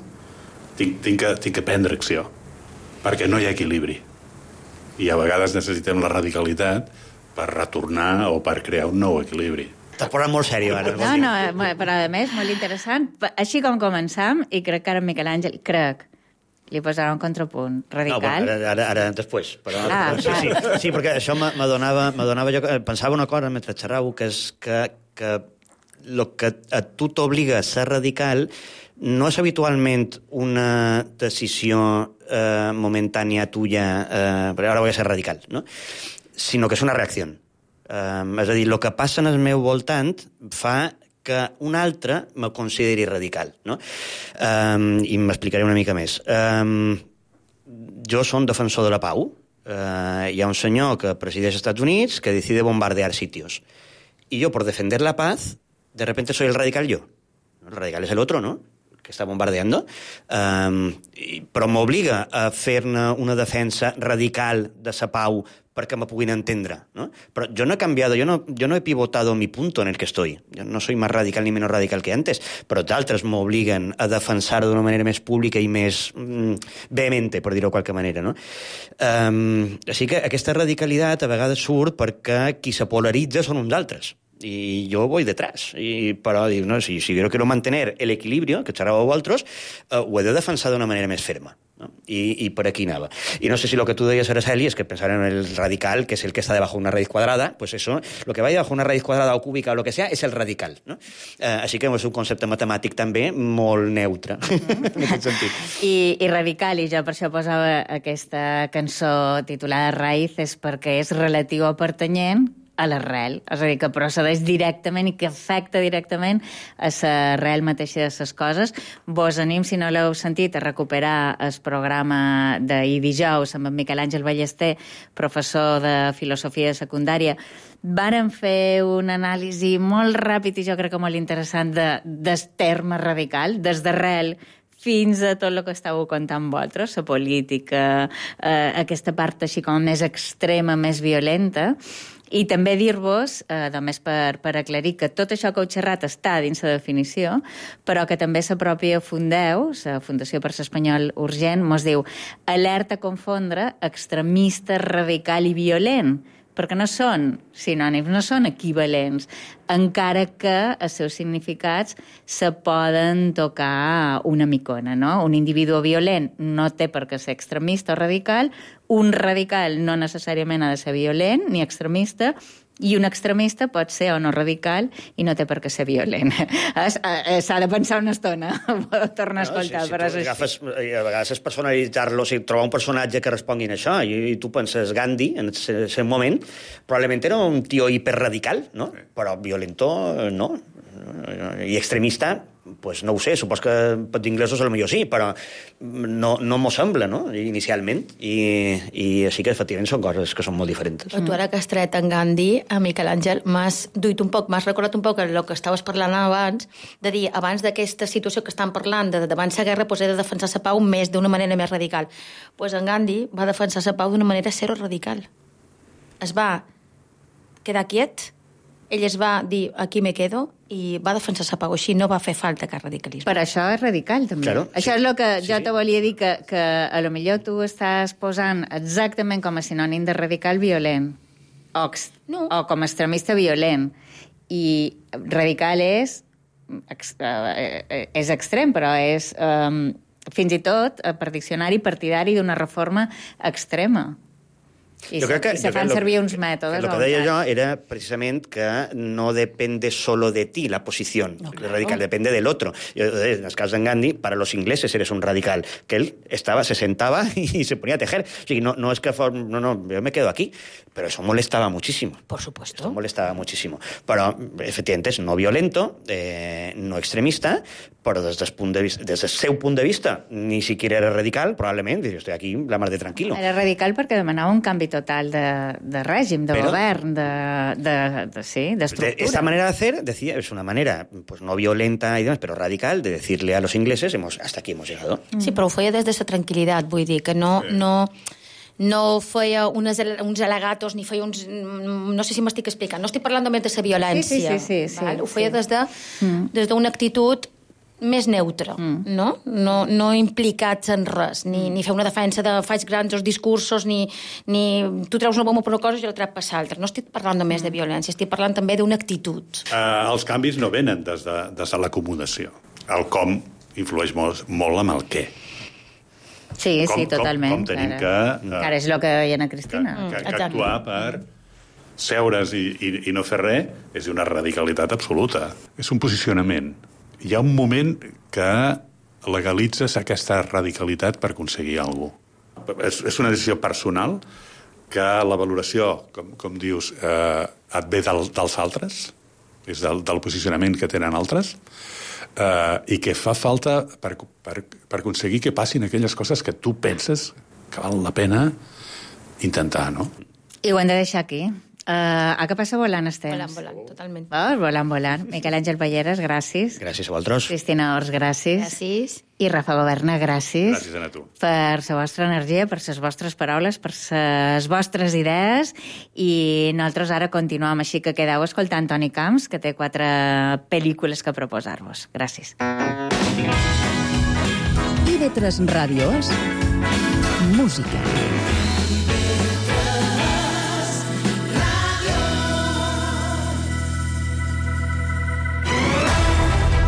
Tinc que prendre acció, perquè no hi ha equilibri. I a vegades necessitem la radicalitat per retornar o per crear un nou equilibri. T'has posat molt sèrio, ara. No, però a més, molt interessant. Així com començam, i crec que ara Miquel Àngel, li posarà un contrapunt radical. No, ara després. Però, sí, perquè això m'adonava jo... Pensava una cosa mentre xerrau, que és que el que a tu t'obliga a ser radical no és habitualment una decisió momentània tuya, perquè ara vull ser radical, no? Sinó que és una reacció. És a dir, el que passa en el meu voltant fa que un altre me consideri radical, no? I m'explicaré una mica més. Jo som defensor de la pau. Hi ha un senyor que presideix els Estats Units que decide bombardear sitios. Y yo, por defender la paz, de repente soy el radical yo. El radical es el otro, ¿no?, que està bombardeando, però m'obliga a fer-ne una defensa radical de la pau perquè me puguin entendre, ¿no? Però jo no he canviado, yo no he pivotado mi punto en el que estoy. Yo no soy más radical ni menos radical que antes, però d'altres m'obliguen a defensar d'una manera més pública i més vehemente, per dir-ho de qualque manera, no? Així que aquesta radicalitat a vegades surt perquè qui se polaritza són uns altres. Y yo voy detrás. Però dic, no, si yo quiero mantener el equilibrio, que xerràveu vosaltres, ho he de defensar d'una manera més ferma. ¿No? I per aquí anava. I no sé si lo que tú deies, Araceli, es que pensar en el radical, que es el que está debajo de una raíz cuadrada, pues eso, lo que va debajo de una raíz cuadrada o cúbica o lo que sea, es el radical. ¿No? Així que és un concepte matemàtic també molt neutre, en aquest sentit. I radical, i jo per això posava aquesta cançó titulada Raíces, perquè és relatiu a pertanyent a l'arrel, és a dir, que procedeix directament i que afecta directament a l'arrel mateixa de les coses. Vos anim, si no l'heu sentit, a recuperar el programa d'ahir dijous amb en Miquel Àngel Ballester, professor de filosofia de secundària. Varen fer una anàlisi molt ràpid i jo crec que molt interessant del terme radical, des d'arrel fins a tot el que estàveu contant vosaltres, la política, aquesta part així com més extrema, més violenta. I també dir-vos, només per aclarir, que tot això que heu xerrat està dins la definició, però que també la pròpia Fundeu, la Fundació per l'Espanyol Urgent, mos diu alerta a confondre extremista, radical i violent, perquè no són sinònims, no són equivalents, encara que els seus significats se poden tocar una micona, no? Un individu violent no té per què ser extremista o radical, un radical no necessàriament ha de ser violent ni extremista, i un extremista pot ser o no radical i no té per què ser violent. S'ha de pensar una estona, tornar a escoltar, però és així. A vegades és personalitzar-lo, si trobar un personatge que respongui a això, i tu penses Gandhi, en aquest moment, probablement era un tio hiperradical, no? Però violento, no. I extremista, pues no ho sé, supos que per inglesos potser sí, però no m'ho sembla, no?, inicialment. I així que, efectivament, són coses que són molt diferents. Però tu ara que has tret en Gandhi, a Miquel Àngel, m'has recordat un poc el que estaves parlant abans, de dir, abans d'aquesta situació que estan parlant, d'abans la guerra, he de defensar la pau d'una manera més radical. Doncs en Gandhi va defensar la pau d'una manera zero radical. Es va quedar quiet, ell es va dir, aquí me quedo, i va defensar la pau així, no va fer falta cap radicalisme. Per això és radical, també. Claro, això és el que jo te volia dir, que a lo millor tu estàs posant exactament com a sinònim de radical violent, o com a extremista violent. I radical és extrem, però és fins i tot, per diccionari, partidari d'una reforma extrema. I se fan servir uns mètodes. Lo que deia jo era precisament que no depende solo de ti la posición radical, depende del otro. En el cas d'en Gandhi, para los ingleses eres un radical, que él se sentaba y se ponía a tejer. O sigui, no es que no, yo me quedo aquí, pero eso molestaba muchísimo. Por supuesto. Eso molestaba muchísimo. Però, efectivament, és no violento, no extremista, però des del seu punt de vista, ni siquiera era radical, probablement, jo estic aquí la mar de tranquilo. Era radical perquè demanava un canvi total de règim, de govern, d'estructura. Esta manera de hacer, decía, es una manera pues no violenta y demás, pero radical, de decirle a los ingleses, hasta aquí hemos llegado. Sí, però ho feia des de la tranquil·litat, vull dir, que no feia uns al·legatos, ni feia uns... No sé si m'estic explicant, no estic parlant només de la violència. Sí. Ho feia des d'una actitud més neutre, no? No implicats en res, ni fer una defensa de faig grans discursos, ni tu treus una bomba per una cosa i jo la trec per l'altra. No estic parlant només de violència, estic parlant també d'una actitud. Els canvis no venen des de l'acomodació. El com influeix molt amb el què. Sí, totalment. Com tenim que... Encara és el que deia Ana Cristina. Que actuar per seure's i no fer res és una radicalitat absoluta. És un posicionament. Hi ha un moment que legalitzes aquesta radicalitat per aconseguir alguna cosa. És una decisió personal que la valoració, com dius, et ve dels altres, és del posicionament que tenen altres, i que fa falta per aconseguir que passin aquelles coses que tu penses que val la pena intentar, no? I ho hem de deixar aquí. Que passa volant el temps. Volant, totalment. Volant. Miquel Àngel Palleres, gràcies. Gràcies a vosaltres. Cristina Ors, gràcies. Gràcies. I Rafa Governa, gràcies. Gràcies a tu. Per la vostra energia, per les vostres paraules, per les vostres idees. I nosaltres ara continuem, així que quedeu escoltant Toni Camps, que té 4 pel·lícules que proposar-vos. Gràcies. IB3 Ràdio és música.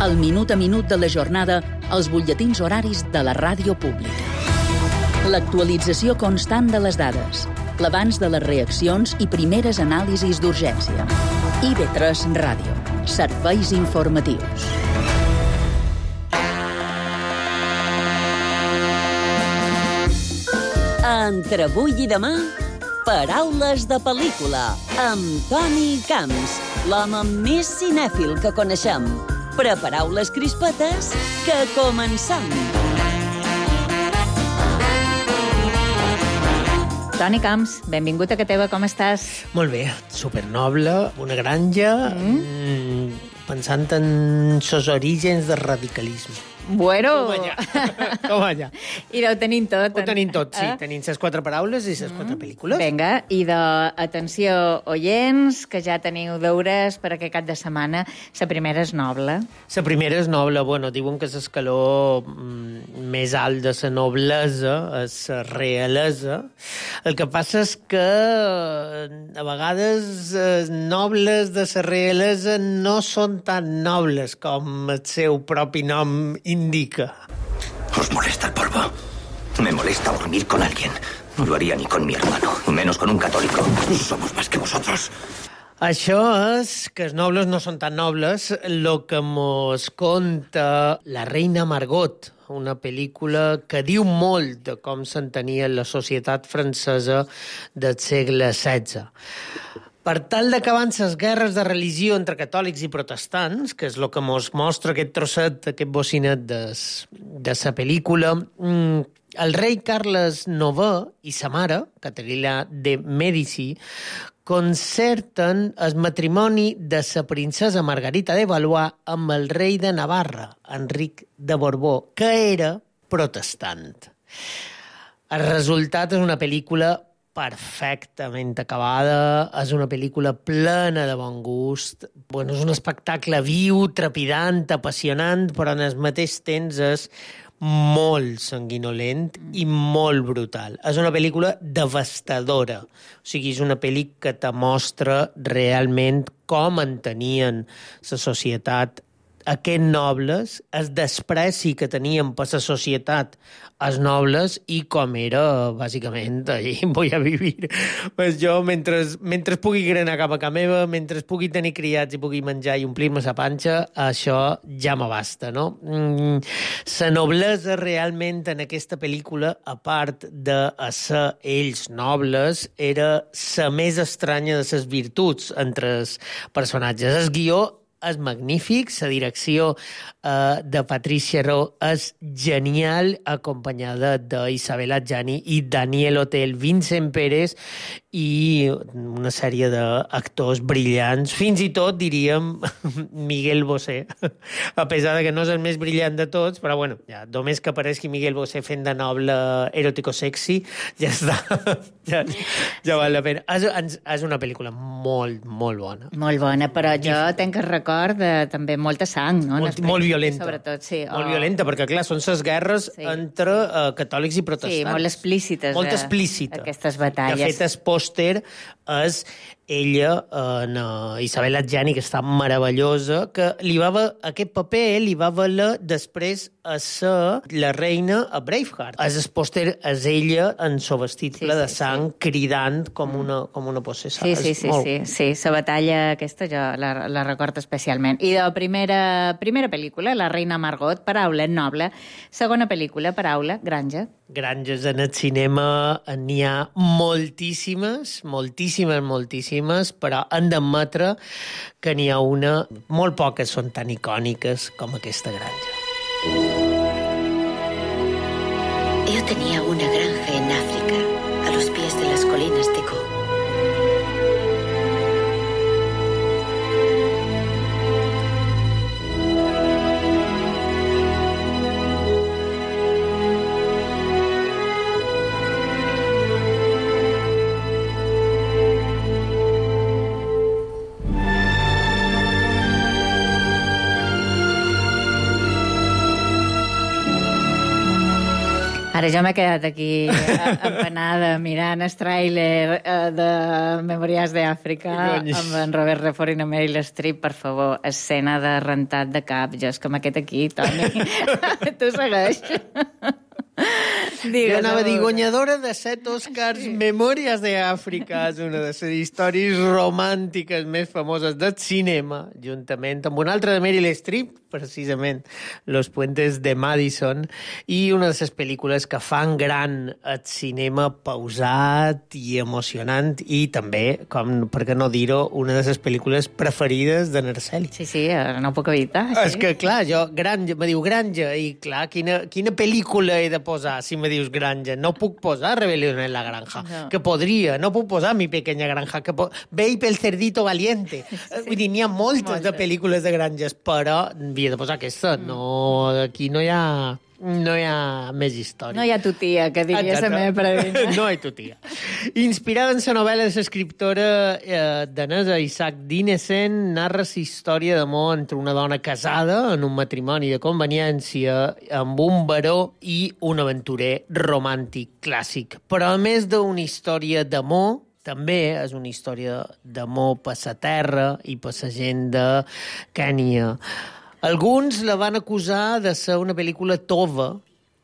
El minut a minut de la jornada, els butlletins horaris de la ràdio pública. L'actualització constant de les dades, l'abans de les reaccions i primeres anàlisis d'urgència. IB3 Ràdio. Serveis informatius. Entre avui i demà, paraules de pel·lícula, amb Toni Camps, l'home més cinèfil que coneixem. Prepareu les crispetes, que comencem! Toni Camps, benvingut a Cateva, com estàs? Molt bé, supernoble, una granja, pensant en els orígens del radicalisme. Bueno! Com allà. I ho tenim tot. Ho tenim tot, sí. Tenim les 4 paraules i les 4 pel·lícules. Vinga, i d'atenció, oients, que ja teniu deures per aquest cap de setmana. La primera és noble. La primera és noble. Bueno, diuen que l'escaló més alt de la noblesa és la realesa. El que passa és que a vegades els nobles de la realesa no són tan nobles com el seu propi nom indica. ¿Os molesta el polvo? Me molesta dormir con alguien. No lo haría ni con mi hermano, y menos con un católico. Somos más que vosotros. Això és que els nobles no són tan nobles, el que mos conta La reina Margot, una pel·lícula que diu molt de com s'entenia la societat francesa del segle XVI. Per tal d'acabar les guerres de religió entre catòlics i protestants, que és el que mos mostra aquest trosset, aquest bocinet de la pel·lícula, el rei Carles IX i sa mare, Caterina de Mèdici, concerten el matrimoni de la princesa Margarita de Valois amb el rei de Navarra, Enric de Borbó, que era protestant. El resultat és una pel·lícula perfectament acabada, és una pel·lícula plena de bon gust, bueno, és un espectacle viu, trepidant, apassionant, però en el mateix temps és molt sanguinolent i molt brutal. És una pel·lícula devastadora. O sigui, és una pel·lícula que te mostra realment com entenien la societat aquests nobles, el despreci que tenien per la societat els nobles i com era, bàsicament, allí vull a vivir. Pues jo, mentre pugui grenar cap a casa meva, mentre pugui tenir criats i pugui menjar i omplir-me la panxa, això ja m'abasta, no? La noblesa realment en aquesta pel·lícula, a part de ser ells nobles, era la més estranya de les virtuts entre els personatges. El guió és magnífic, la direcció de Patricia Rowe és genial, acompanyada d'Isabel Adjani i Daniel Hotel, Vincent Pérez i una sèrie d'actors brillants, fins i tot, diríem, Miguel Bosé, a pesar de que no és el més brillant de tots, però bueno, ja, només que apareixi Miguel Bosé fent de noble eròtico-sexy, ja està, ja val la pena. És una pel·lícula molt, molt bona. Molt bona, però jo tenc el record de també molta sang, no? Molt violenta. Sobretot, sí. Molt violenta, perquè clar, són les guerres entre catòlics i protestants. Sí, molt explícites. Molt explícites. Aquestes batalles. De fet, el pòster és ella, Isabel Adjani, que està meravellosa, que aquest paper li va valer després a ser la reina a Braveheart. El pòster és ella en el vestit ple de sang, cridant com una possessada. Sí, la batalla aquesta jo la recordo especialment. I de la primera pel·lícula, La reina Margot, paraula noble. Segona pel·lícula, paraula granja. Granges en el cinema n'hi ha moltíssimes, però hem d'admetre que n'hi ha una, molt poques són tan icòniques com aquesta granja. Yo tenía una granja en África, a los pies de las colinas de Go. Ara jo m'he quedat aquí empanada mirant el tràiler de Memòries d'Àfrica amb en Robert Redford i la Meryl Streep. Per favor, escena de rentat de cap. Jo és com aquest aquí, Toni. Tu segueix. Jo anava a dir, guanyadora de 7 Oscars, Memòries d'Àfrica, és una de les històries romàntiques més famoses del cinema, juntament amb una altra de Meryl Streep, precisament, Los puentes de Madison, i una de les pel·lícules que fan gran el cinema pausat i emocionant, i també, com per què no dir-ho, una de les pel·lícules preferides de Narceli. Sí, no ho puc evitar. És que, clar, me diu granja, i clar, quina pel·lícula he de posar? Si me dius granja, no puc posar Rebelión en la granja, que podria, no puc posar Mi pequeña granja, Ve pel cerdito valiente. Vull dir, n'hi ha moltes de pel·lícules de granges, però havia de posar aquesta. No, aquí no hi ha més història. No hi ha tu tia, que diria la meva predina. No hi ha tu tia. Inspirada en la novel·la de l'escriptora danesa Isaac Dinesen, narra la història d'amor entre una dona casada en un matrimoni de conveniència amb un baró i un aventurer romàntic clàssic. Però a més d'una història d'amor, també és una història d'amor per la terra i per la gent de Kènia. Alguns la van acusar de ser una pel·lícula tova,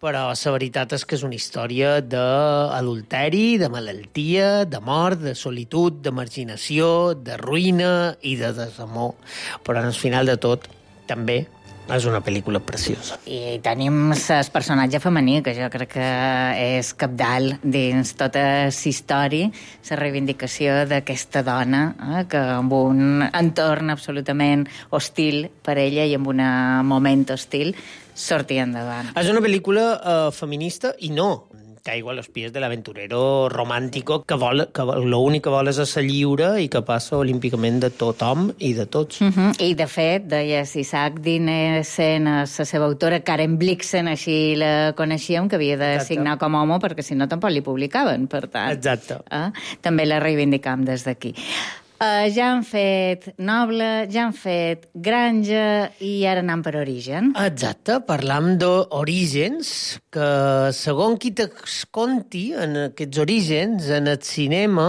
però la veritat és que és una història d'adulteri, de malaltia, de mort, de solitud, de marginació, de ruïna i de desamor. Però al final de tot, també és una pel·lícula preciosa. I tenim el personatge femení, que jo crec que és cabdal dins tota la història, la reivindicació d'aquesta dona, que amb un entorn absolutament hostil per ella i amb un moment hostil sortia endavant. És una pel·lícula feminista i no. Caigo a los pies de l'aventurero romàntico que l'únic que vol és ser lliure i que passa olímpicament de tothom i de tots. I, de fet, deia Isaac Dinesen, la seva autora, Karen Blixen, així la coneixíem, que havia de signar com a home perquè si no tampoc li publicaven, per tant. Exacte. També la reivindicam des d'aquí. Ja han fet Noble, ja han fet Granja i ara anem per Origen. Exacte, parlam d'orígens, que segons qui t'esconti en aquests orígens, en el cinema,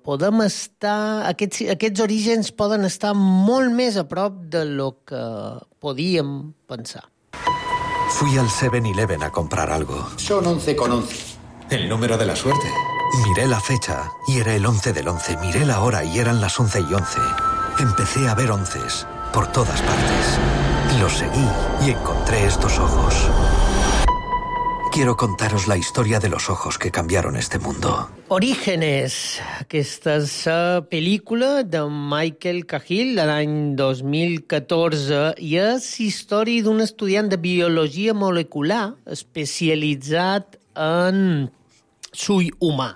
podem estar... Aquests orígens poden estar molt més a prop de lo que podíem pensar. Fui al 7-Eleven a comprar algo. Son 11,11. El número de la suerte. Miré la fecha y era el 11 del 11. Miré la hora y eran las 11:11. Empecé a ver onces por todas partes. Los seguí y encontré estos ojos. Quiero contaros la historia de los ojos que cambiaron este mundo. Orígenes. Aquesta és la pel·lícula de Michael Cahill de l'any 2014 i és història d'un estudiant de biologia molecular especialitzat en l'ull humà.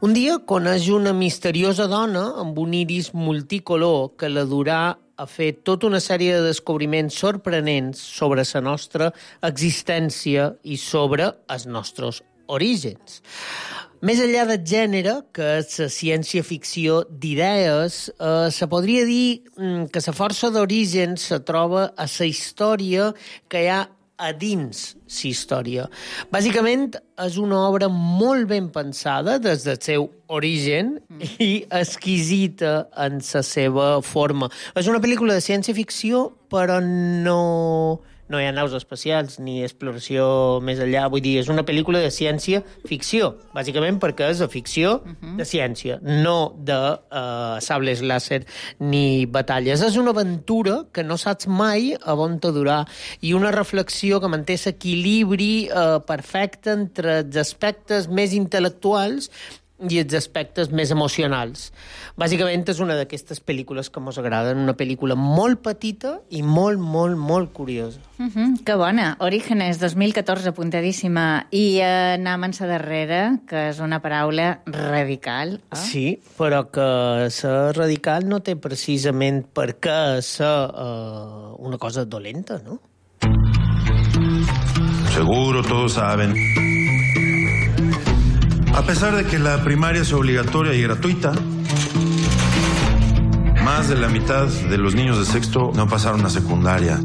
Un dia coneix una misteriosa dona amb un iris multicolor que la durà a fer tota una sèrie de descobriments sorprenents sobre la nostra existència i sobre els nostres orígens. Més enllà del gènere, que és la ciència-ficció d'idees, se podria dir que la força d'origen se troba a la història que hi ha a dins la història. Bàsicament, és una obra molt ben pensada des del seu origen i exquisita en la seva forma. És una pel·lícula de ciència-ficció, però no hi ha naus espacials ni exploració més enllà. Vull dir, és una pel·lícula de ciència-ficció, bàsicament perquè és de ficció de ciència, no de sables làser ni batalles. És una aventura que no saps mai a on te durà i una reflexió que manté l'equilibri perfecte entre els aspectes més intel·lectuals i els aspectes més emocionals. Bàsicament és una d'aquestes pel·lícules que ens agraden, una pel·lícula molt petita i molt, molt, molt curiosa. Que bona. Orígenes 2014, apuntadíssima. I anem en la darrera, que és una paraula radical. Sí, però que ser radical no té precisament per què ser una cosa dolenta, no? Seguro todos saben. A pesar de que la primaria es obligatoria y gratuita, más de la mitad de los niños de sexto no pasaron a secundaria.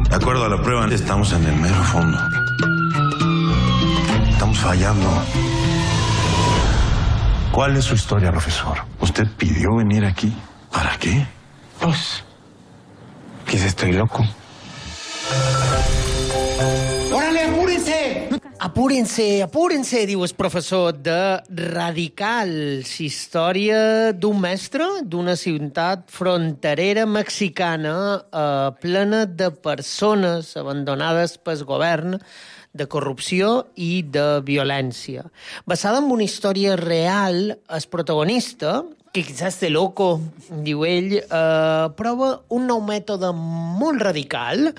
De acuerdo a la prueba, estamos en el mero fondo. Estamos fallando. ¿Cuál es su historia, profesor? ¿Usted pidió venir aquí? ¿Para qué? Pues, quizá estoy loco. ¡Órale, apúrense! Apúrense, diu el professor de Radicals, història d'un mestre d'una ciutat fronterera mexicana plena de persones abandonades pel govern, de corrupció i de violència. Basada en una història real, el protagonista, que quizás de loco, diu ell, prova un nou mètode molt radical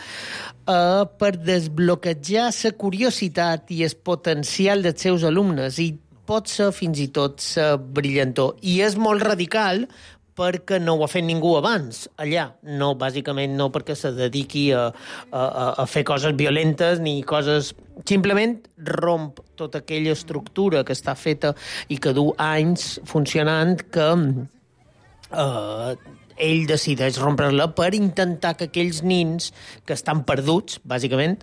per desbloquejar la curiositat i el potencial dels seus alumnes, i pot ser fins i tot la brillantor. I és molt radical perquè no ho ha fet ningú abans, allà. No, bàsicament no perquè se dediqui a fer coses violentes ni coses... Simplement romp tota aquella estructura que està feta i que du anys funcionant, que ell decideix rompre-la per intentar que aquells nins que estan perduts, bàsicament,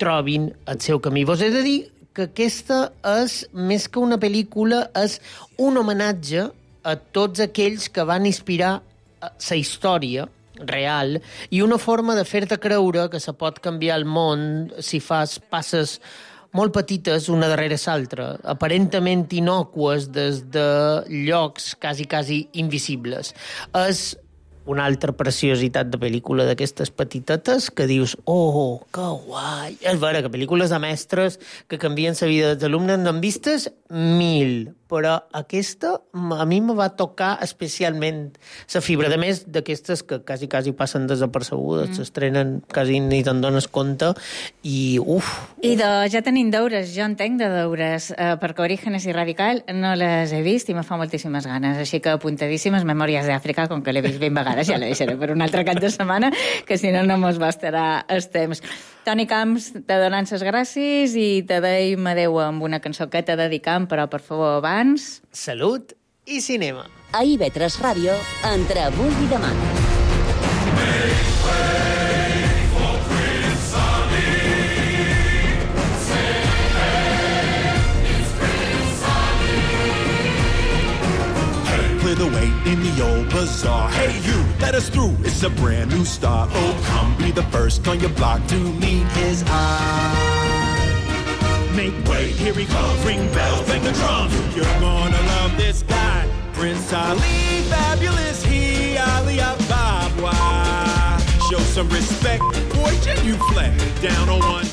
trobin el seu camí. Vos he de dir que aquesta és, més que una pel·lícula, és un homenatge a tots aquells que van inspirar la història real i una forma de fer-te creure que se pot canviar el món si fas passes molt petites una darrere l'altra, aparentment innocues des de llocs quasi invisibles. És una altra preciositat de pel·lícula d'aquestes petitetes que dius, oh, que guai. És vera que pel·lícules de mestres que canvien la vida dels alumnes n'han vistes 1000, però aquesta a mi me va tocar especialment la fibra. A més, d'aquestes que quasi passen desapercebudes, s'estrenen quasi ni te'n dones compte, i uf. I ja tenim deures, jo entenc de deures, perquè Orígenes i Radical no les he vist i me fa moltíssimes ganes, així que apuntadíssimes Memòries d'Àfrica, com que l'he vist 20 vegades, ja la deixaré per un altre cap de setmana, que si no mos bastarà el temps. Toni Camps, te donem les gràcies i te deim adeu amb una cançó que te dedicam, però, per favor, abans... Salut i cinema. A IB3 Ràdio, entre avui i demà. Clear the way in the old bazaar. Hey, you, let us through. It's a brand new start. Oh, come be the first on your block to meet his eye. Make way, here he comes. Ring bells, bang the drums. You're gonna love this guy. Prince Ali, fabulous he, Ali Ababa. Show some respect, boy, genuflect. Down on one